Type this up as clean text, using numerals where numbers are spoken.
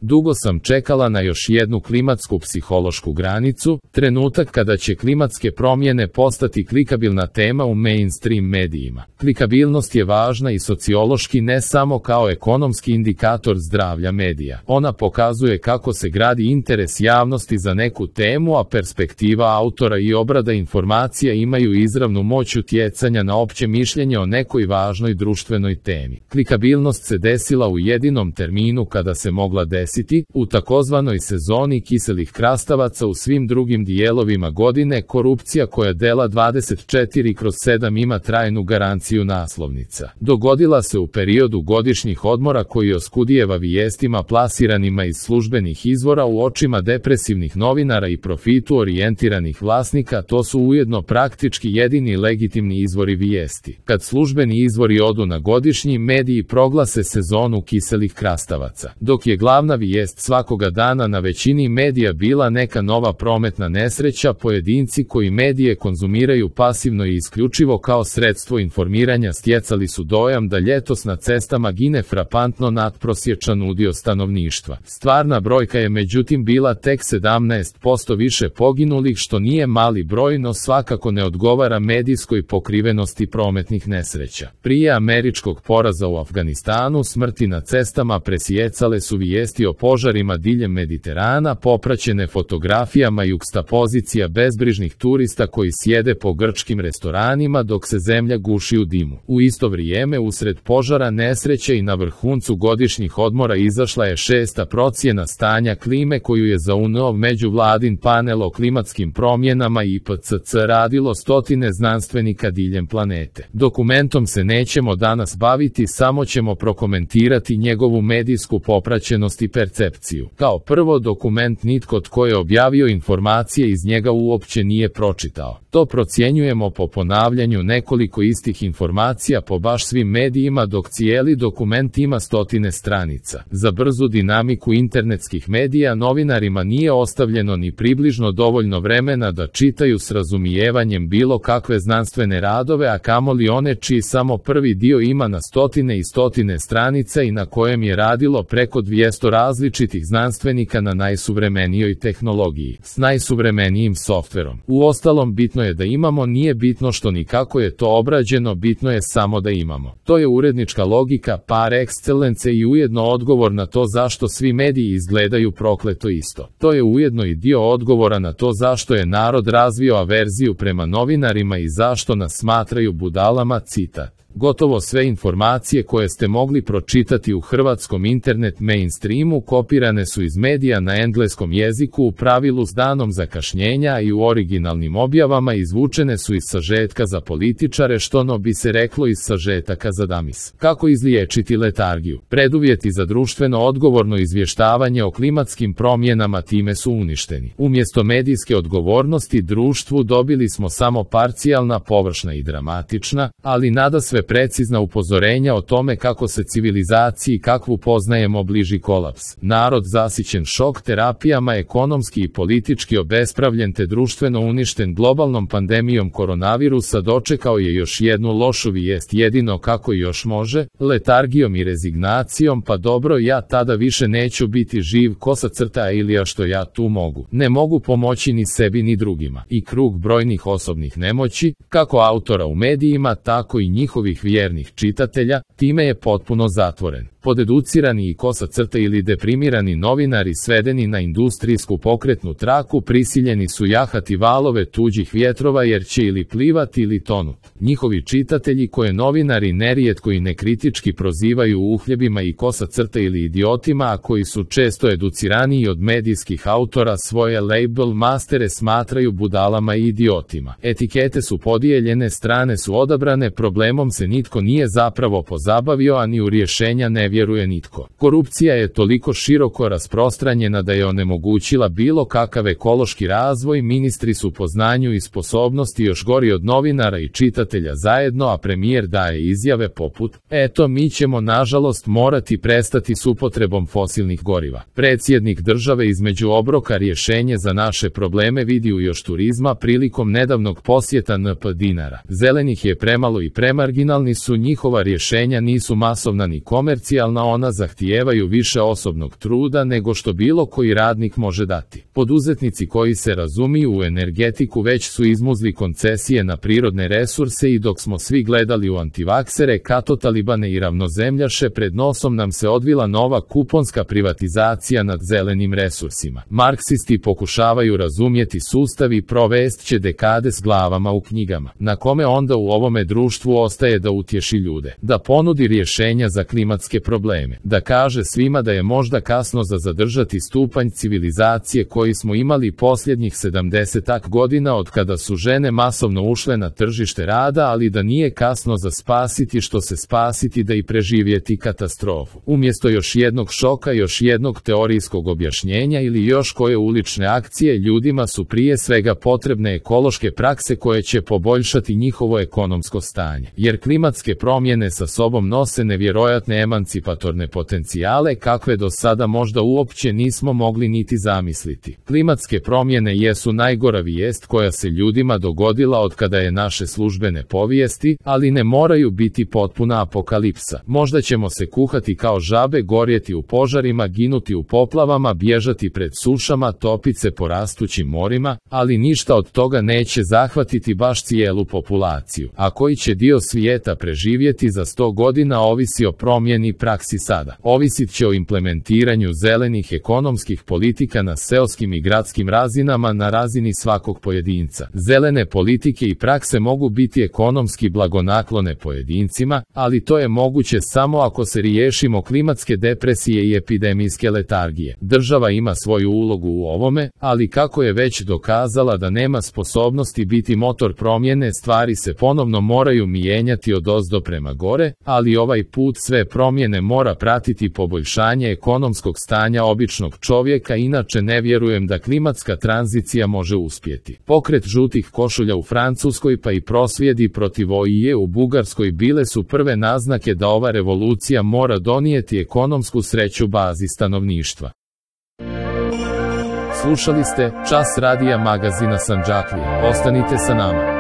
Dugo sam čekala na još jednu klimatsku psihološku granicu, trenutak kada će klimatske promjene postati klikabilna tema u mainstream medijima. Klikabilnost je važna i sociološki, ne samo kao ekonomski indikator zdravlja medija. Ona pokazuje kako se gradi interes javnosti za neku temu, a perspektiva autora i obrada informacija imaju izravnu moć utjecanja na opće mišljenje o nekoj važnoj društvenoj temi. Klikabilnost se desila u jedinom terminu kada se mogla desiti, u takozvanoj sezoni kiselih krastavaca. U svim drugim dijelovima godine korupcija koja dela 24/7 ima trajnu garanciju naslovnica. Dogodila se u periodu godišnjih odmora koji oskudijeva vijestima plasiranima iz službenih izvora u očima depresivnih novinara i profitu orijentiranih vlasnika. To su ujedno praktički jedini legitimni izvori vijesti. Kad službeni izvori odu na godišnji, mediji proglase sezonu kiselih krastavaca. Dok je glavna vijest svakoga dana na većini medija bila neka nova prometna nesreća, pojedinci koji medije konzumiraju pasivno i isključivo kao sredstvo informiranja stjecali su dojam da ljetos na cestama gine frapantno nadprosječan udio stanovništva. Stvarna brojka je međutim bila tek 17% više poginulih, što nije mali broj, no svakako ne odgovara medijskoj pokrivenosti prometnih nesreća. Prije američkog poraza u Afganistanu smrti na cestama presijecale su vijesti o požarima diljem Mediterana, popraćene fotografijama jukstapozicija bezbrižnih turista koji sjede po grčkim restoranima dok se zemlja guši u dimu. U isto vrijeme, usred požara, nesreće i na vrhuncu godišnjih odmora izašla je 6. procjena stanja klime koju je za UNO međuvladin panel o klimatskim promjenama IPCC radilo stotine znanstvenika diljem planete. Dokumentom se nećemo danas baviti, samo ćemo prokomentirati njegovu medijsku popraćenost i percepciju. Kao prvo, dokument nitko tko je objavio informacije iz njega uopće nije pročitao. To procjenjujemo po ponavljanju nekoliko istih informacija po baš svim medijima, dok cijeli dokument ima stotine stranica. Za brzu dinamiku internetskih medija novinarima nije ostavljeno ni približno dovoljno vremena da čitaju s razumijevanjem bilo kakve znanstvene radove, a kamoli one čiji samo prvi dio ima na stotine i stotine stranica i na kojem je radilo preko 200 različitih znanstvenika na najsuvremenijoj tehnologiji, s najsuvremenijim softverom. Uostalom, bitno je da imamo, nije bitno što ni kako je to obrađeno, bitno je samo da imamo. To je urednička logika par excellence i ujedno odgovor na to zašto svi mediji izgledaju prokleto isto. To je ujedno i dio odgovora na to zašto je narod razvio averziju prema novinarima i zašto nas smatraju budalama. Citat: gotovo sve informacije koje ste mogli pročitati u hrvatskom internet mainstreamu kopirane su iz medija na engleskom jeziku, u pravilu s danom zakašnjenja, i u originalnim objavama izvučene su iz sažetka za političare, što no bi se reklo iz sažetaka za damis. Kako izliječiti letargiju? Preduvjeti za društveno odgovorno izvještavanje o klimatskim promjenama time su uništeni. Umjesto medijske odgovornosti društvu dobili smo samo parcijalna, površna i dramatična, ali nadasve precizna upozorenja o tome kako se civilizaciji kakvu poznajemo bliži kolaps. Narod zasićen šok terapijama, ekonomski i politički obespravljen te društveno uništen globalnom pandemijom koronavirusa dočekao je još jednu lošu vijest, jedino kako još može, letargijom i rezignacijom. Pa dobro, ja tada više neću biti živ, kosa crta ili što ja tu mogu. Ne mogu pomoći ni sebi ni drugima. I krug brojnih osobnih nemoći, kako autora u medijima, tako i njihovih vjernih čitatelja, time je potpuno zatvoren. Podeducirani i kosa crta ili deprimirani novinari svedeni na industrijsku pokretnu traku prisiljeni su jahati valove tuđih vjetrova jer će ili plivati ili tonuti. Njihovi čitatelji, koje novinari nerijetko i nekritički prozivaju uhljebima i kosa crta ili idiotima, a koji su često educiraniji od medijskih autora, svoje label mastere smatraju budalama i idiotima. Etikete su podijeljene, strane su odabrane, problemom se nitko nije zapravo pozabavio, a ni u rješenja ne vjeruje nitko. Korupcija je toliko široko rasprostranjena da je onemogućila bilo kakav ekološki razvoj, ministri su po znanju i sposobnosti još gori od novinara i čitatelja zajedno, a premijer daje izjave poput: eto, mi ćemo nažalost morati prestati s upotrebom fosilnih goriva. Predsjednik države između obroka rješenje za naše probleme vidi u još turizma prilikom nedavnog posjeta NP Dinara. Zelenih je premalo i premarginalni su, njihova rješenja nisu masovna ni komercijalna, socijalna, ona zahtijevaju više osobnog truda nego što bilo koji radnik može dati. Poduzetnici koji se razumiju u energetiku već su izmuzli koncesije na prirodne resurse i dok smo svi gledali u antivaksere, katotalibane i ravnozemljaše, pred nosom nam se odvila nova kuponska privatizacija nad zelenim resursima. Marksisti pokušavaju razumjeti sustav i provest će dekade s glavama u knjigama. Na kome onda u ovome društvu ostaje da utješi ljude, da ponudi rješenja za klimatske probleme, da kaže svima da je možda kasno za zadržati stupanj civilizacije koji smo imali posljednjih 70 godina od kada su žene masovno ušle na tržište rada, ali da nije kasno za spasiti što se spasiti, da i preživjeti katastrofu. Umjesto još jednog šoka, još jednog teorijskog objašnjenja ili još koje ulične akcije, ljudima su prije svega potrebne ekološke prakse koje će poboljšati njihovo ekonomsko stanje. Jer klimatske promjene sa sobom nose nevjerojatne emancipatorne potencijale kakve do sada možda uopće nismo mogli niti zamisliti. Klimatske promjene jesu najgora vijest koja se ljudima dogodila od kada je naše službene povijesti, ali ne moraju biti potpuna apokalipsa. Možda ćemo se kuhati kao žabe, gorjeti u požarima, ginuti u poplavama, bježati pred sušama, topiti se po rastućim morima, ali ništa od toga neće zahvatiti baš cijelu populaciju. A koji će dio svijeta preživjeti za 100 godina ovisi o promjeni praksi sada. Ovisit će o implementiranju zelenih ekonomskih politika na seoskim i gradskim razinama, na razini svakog pojedinca. Zelene politike i prakse mogu biti ekonomski blagonaklone pojedincima, ali to je moguće samo ako se riješimo klimatske depresije i epidemijske letargije. Država ima svoju ulogu u ovome, ali kako je već dokazala da nema sposobnosti biti motor promjene, stvari se ponovno moraju mijenjati odozdo prema gore, ali ovaj put sve promjene mora pratiti poboljšanje ekonomskog stanja običnog čovjeka, inače ne vjerujem da klimatska tranzicija može uspjeti. Pokret žutih košulja u Francuskoj pa i prosvjedi protiv OIE u Bugarskoj bile su prve naznake da ova revolucija mora donijeti ekonomsku sreću bazi stanovništva. Slušali ste Čas radija magazina Sandžaklija. Ostanite sa nama.